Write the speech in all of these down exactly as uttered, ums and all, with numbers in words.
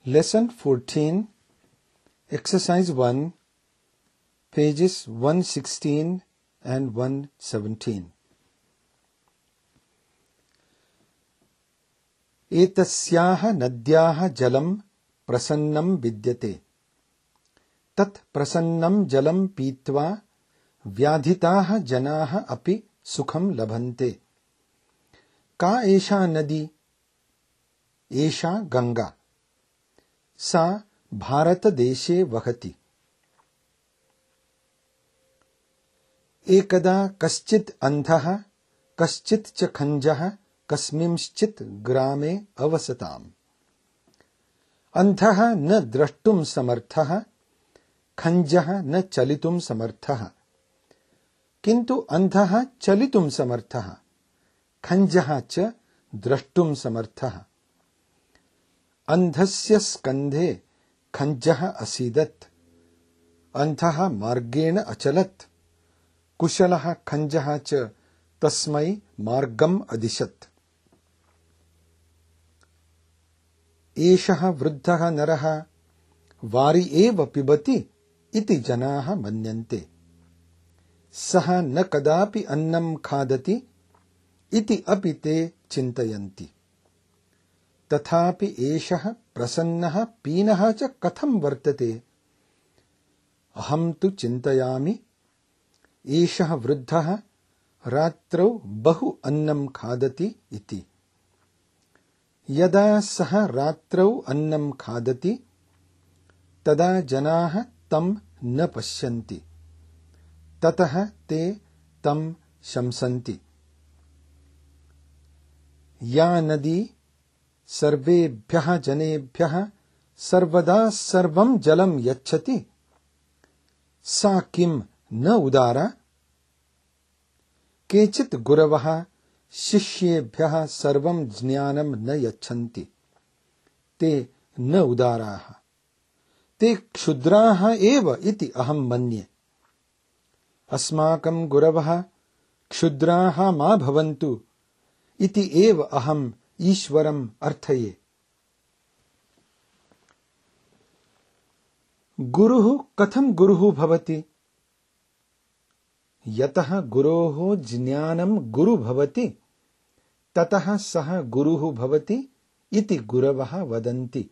Lesson fourteen, Exercise one, pages one sixteen and one seventeen. एतस्याः नद्याः जलं प्रसन्नं विद्यते. तत् प्रसन्नं जलं पीत्वा व्याधिताः जनाः अपि सुखं लभन्ते. का एषा नदी? एषा गंगा. सा भारतदेशे वहति. एकदा कश्चित् अन्धः कश्चित् च खञ्जः कस्मिंश्चित् ग्रामे अवसताम्. अन्धः न द्रष्टुं समर्थः, खञ्जः न चलितुं समर्थः. किन्तु अन्धः चलितुं समर्थः, खञ्जः च द्रष्टुं समर्थः. अन्धस्य स्कन्धे खञ्जः असीदत्. अन्धः मार्गेण अचलत्. कुशलः खञ्जः च तस्मै मार्गम् अदिशत्. एषः वृद्धः नरः वारि एव पिबति इति जनाः मन्यन्ते. सः न कदापि अन्नं खादति इति अपि ते चिन्तयन्ति. तथापि एषः प्रसन्नः पीनः च कथं वर्तते? अहं तु चिन्तयामि, एषः वृद्धः रात्रौ बहु अन्नं खादति इति. यदा सः रात्रौ अन्नं खादति तदा जनाः तं न पश्यन्ति. ततः ते तं शंसन्ति. या नदी सर्वेभ्यः जनेभ्यः सर्वदा सर्वं जलं यच्छति, सा किं न उदारा? केचित् गुरवः शिष्येभ्यः सर्वं ज्ञानं न यच्छन्ति. ते न उदाराः. ते क्षुद्राः एव इति अहं मन्ये. अस्माकं गुरवः क्षुद्राः मा भवन्तु इति एव अहम् ईश्वरम् अर्थये. गुरुः कथं गुरुः भवति? यतः गुरोः ज्ञानं गुरु भवति ततः सः गुरुः भवति इति गुरवः वदन्ति.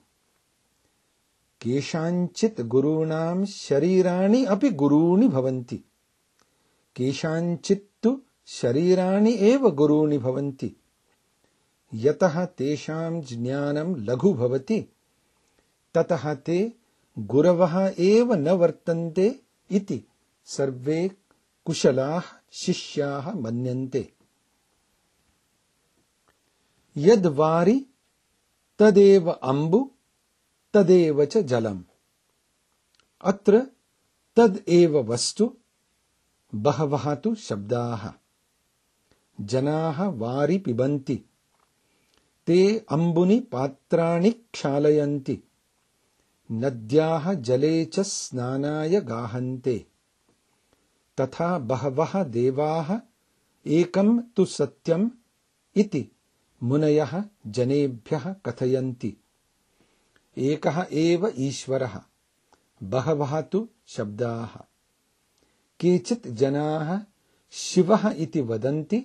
केषाञ्चित् गुरूणां शरीराणि अपि गुरूणि भवन्ति. केषाञ्चित् तु शरीराणि एव गुरूणि भवन्ति. यतः तेषां ज्ञानं लघु भवति ततः ते गुरवः एव न वर्तन्ते इति सर्वे कुशलाः शिष्याः मन्यन्ते. यद् वारि तदेव अम्बु तदेव च जलम्. अत्र तद् एव वस्तु, बहवः तु शब्दाः. जनाः वारि पिबन्ति. ते अम्बुनि पात्राणि क्षालयन्ति. नद्याः जले च स्नानाय गाहन्ते. तथा बहवः देवाः एकं तु सत्यम् इति मुनयः जनेभ्यः कथयन्ति. एकः एव ईश्वरः, बहवः तु शब्दाः. केचित् जनाः शिवः इति वदन्ति,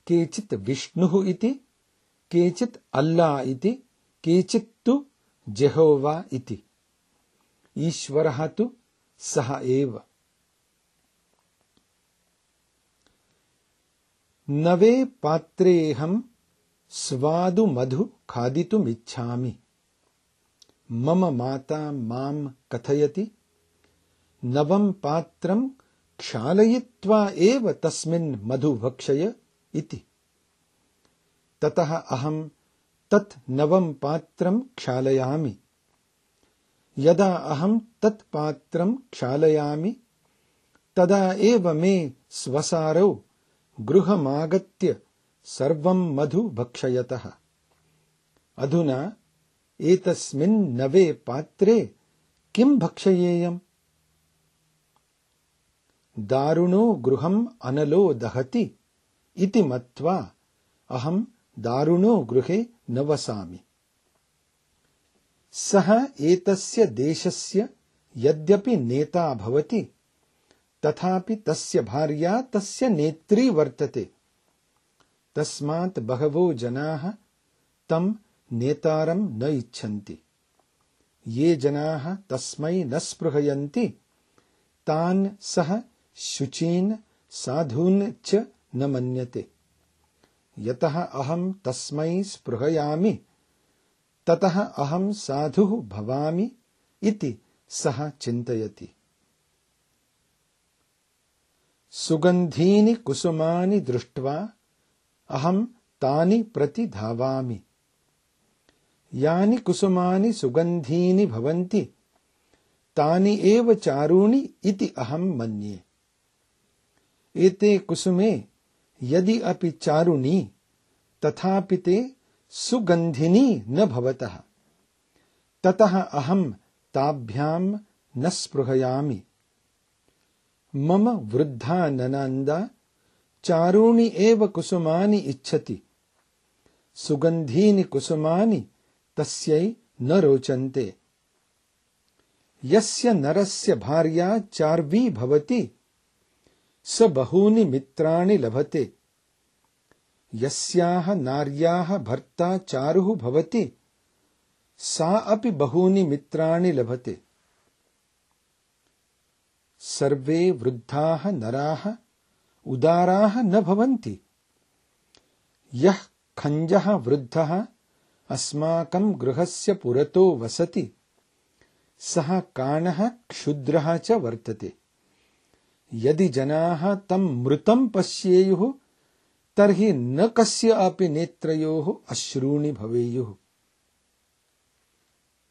केचित् विष्णुः इति, केचित् अल्ला इति, केचित् तु जेहोवा इति. ईश्वरः तु सः एव. नवे पात्रेऽहं स्वादु मधु खादितुमिच्छामि. मम माता मां कथयति, नवं पात्रं क्षालयित्वा एव तस्मिन् मधु भक्षय इति. ततः अहं तत् नवं पात्रं क्षालयामि. यदा अहं तत् पात्रं क्षालयामि तदा एव मे स्वसारौ गृहमागत्य सर्वं मधु भक्षयतः. अधुना एतस्मिन् नवे पात्रे किं भक्षयेयम्? दारुणो गृहम् अनलो दहति इति मत्वा अहं दारुणो गृहे न वसामि. सः एतस्य देशस्य यद्यपि नेता भवति तथापि तस्य भार्या तस्य नेत्री वर्तते। तस्मात् बहवो जनाः तं नेतारं न इच्छन्ति। ये जनाः तस्मै न स्पृहयन्ति तान् सः शुचीन् साधून् च न मन्यते। यतः अहं तस्मै स्पृहयामि ततः अहं साधुः भवामि इति सः चिन्तयति। सुगन्धीनि कुसुमानि दृष्ट्वा अहं तानि प्रति धावामि। यानि कुसुमानि सुगन्धीनि भवन्ति तानि एव चारूणि इति अहं मन्ये। एते कुसुमे यदि अपि चारुणी तथापि ते सुगन्धिनी न भवतः। ततः अहं ताभ्यां न स्पृहयामि। मम वृद्धा ननन्दा चारूणि एव कुसुमानि इच्छति। सुगन्धीनि कुसुमानि तस्यै न रोचन्ते। यस्य नरस्य भार्या चार्वी भवति स बहूनि मित्राणि लभते। यस्याः नार्याः भर्ता चारुः भवति सा अपि बहूनि मित्राणि लभते। सर्वे वृद्धाः नराः उदाराः न भवन्ति। यः खञ्जः वृद्धः अस्माकं गृहस्य पुरतो वसति सः काणः क्षुद्रः च वर्तते। यदि जनाः तं मृतं पश्येयुः तर्हि न कस्य अपि नेत्रयोः अश्रूणि भवेयुः।